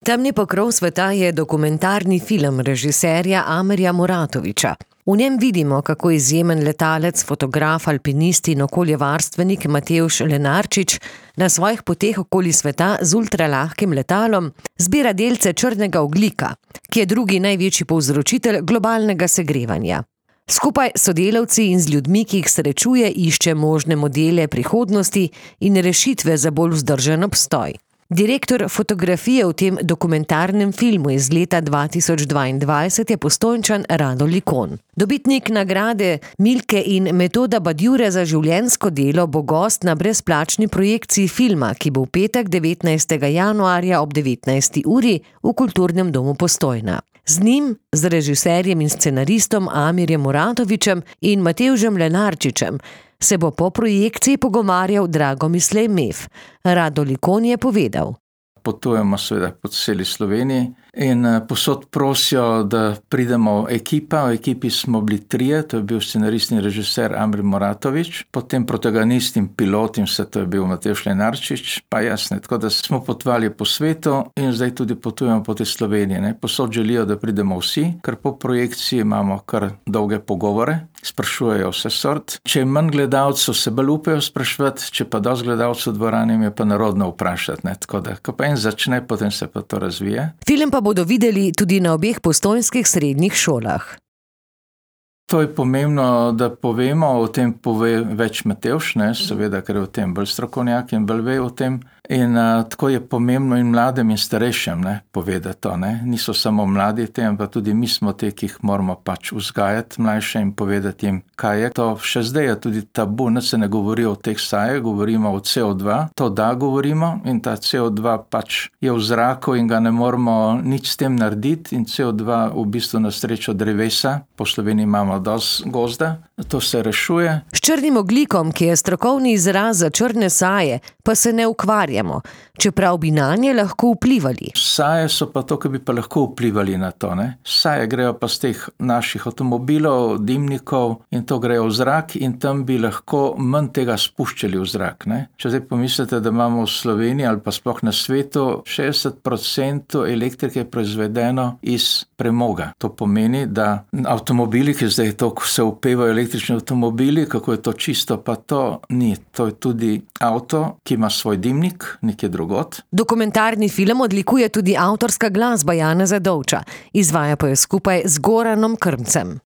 Temni pokrov sveta je dokumentarni film režiserja Amirja Muratovića. V njem vidimo, kako izjemen letalec, fotograf, alpinist in okoljevarstvenik Matevž Lenarčič na svojih poteh okoli sveta z ultralahkim letalom zbira delce črnega ogljika, ki je drugi največji povzročitelj globalnega segrevanja. Skupaj s sodelavci in z ljudmi, ki jih srečuje, išče možne modele prihodnosti in rešitve za bolj vzdržen obstoj. Direktor fotografije v tem dokumentarnem filmu iz leta 2022 je Postojnčan Rado Likon. Dobitnik nagrade Milke in Metoda Badjure za življenjsko delo bo gost na brezplačni projekciji filma, ki bo v petek 19. januarja ob 19. uri v Kulturnem domu Postojna. Z njim, z režiserjem in scenaristom Amirjem Muratovićem in Matevžem Lenarčičem se bo po projekciji pogovarjal Dragomislej Mef. Rado Likon je povedal. Potujemo seveda po celi Sloveniji in posod prosijo, da pridemo ekipa. V ekipi smo bili trije, to je bil scenarist in režiser Amir Muratović, potem protagonist in pilot in vse to je bil Matevž Lenarčič, pa jasne. Tako da smo potovali po svetu in zdaj tudi potujemo po tej Sloveniji. Posod želijo, da pridemo vsi, ker po projekciji imamo kar dolge pogovore, sprašujejo vse sort. Če je manj gledalcev, se bolj upajo spraševati, če pa dosti gledalcev v dvorani, je pa narodno vprašati. Tako da, ko pa en začne, potem se pa to razvije. Film pa bodo videli tudi na obeh postojnskih srednjih šolah. To je pomembno, da povemo, o tem pove več Matevž, seveda, ker je o tem bolj strokovnjak in bolj ve o tem. In tako je pomembno in mladim in starejšim povedati to. Niso samo mladi tem, pa tudi mi smo te, ki jih moramo pač vzgajati mlajše in povedati jim, kaj je. To še zdaj je tudi tabu, se ne govori o teh sajah, govorimo o CO2. To da govorimo in ta CO2 pač je v zraku in ga ne moramo nič s tem narediti in CO2 v bistvu na srečo drevesa, po Sloveniji imamo dosti gozda, to se rešuje. S črnim ogljikom, ki je strokovni izraz za črne saje, pa se ne ukvarjamo, čeprav bi nanje lahko vplivali. Saje so pa to, ki bi pa lahko vplivali na to. Saje grejo pa z teh naših avtomobilov, dimnikov in to grejo v zrak in tam bi lahko manj tega spuščali v zrak. Če zdaj pomislite, da imamo v Sloveniji ali pa sploh na svetu 60% elektrike proizvedeno iz premoga. To pomeni, da avtomobili, ki zdaj to, ko se upevajo električni avtomobili, kako je to čisto, pa to ni. To je tudi avto, ki ima svoj dimnik, nekje drugot. Dokumentarni film odlikuje tudi avtorska glasba Janeza Dovča, izvaja pa jo skupaj z Goranom Krmcem.